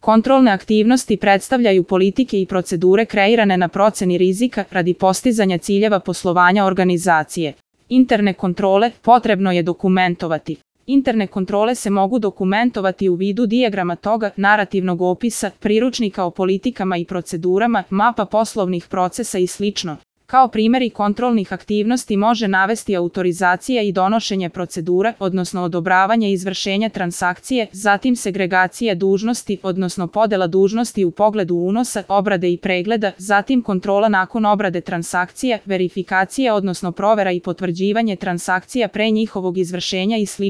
Kontrolne aktivnosti predstavljaju politike i procedure kreirane na proceni rizika radi postizanja ciljeva poslovanja organizacije. Interne kontrole potrebno je dokumentovati. Interne kontrole se mogu dokumentovati u vidu dijagrama toga, narativnog opisa, priručnika o politikama i procedurama, mapa poslovnih procesa i sl. Kao primjeri kontrolnih aktivnosti može navesti autorizacija i donošenje procedura, odnosno odobravanje izvršenja transakcije, zatim segregacija dužnosti, odnosno podela dužnosti u pogledu unosa, obrade i pregleda, zatim kontrola nakon obrade transakcija, verifikacija odnosno provera i potvrđivanje transakcija pre njihovog izvršenja i sl.